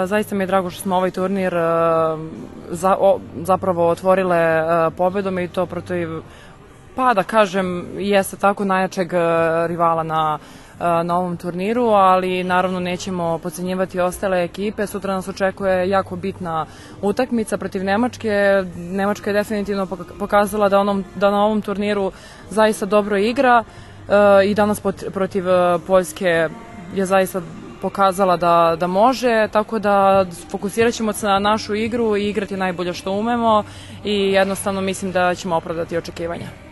Zaista mi je drago što smo ovaj turnir zapravo otvorile pobedom i to protiv, pa da kažem, jeste tako najjačeg rivala na ovom turniru, ali naravno nećemo podcenjivati ostale ekipe. Sutra nas očekuje jako bitna utakmica protiv Nemačke. Nemačka je definitivno pokazala da na ovom turniru zaista dobro igra i danas protiv Poljske je zaista pokazala da može, tako da fokusirat ćemo se na našu igru i igrati najbolje što umemo i jednostavno mislim da ćemo opravdati očekivanja.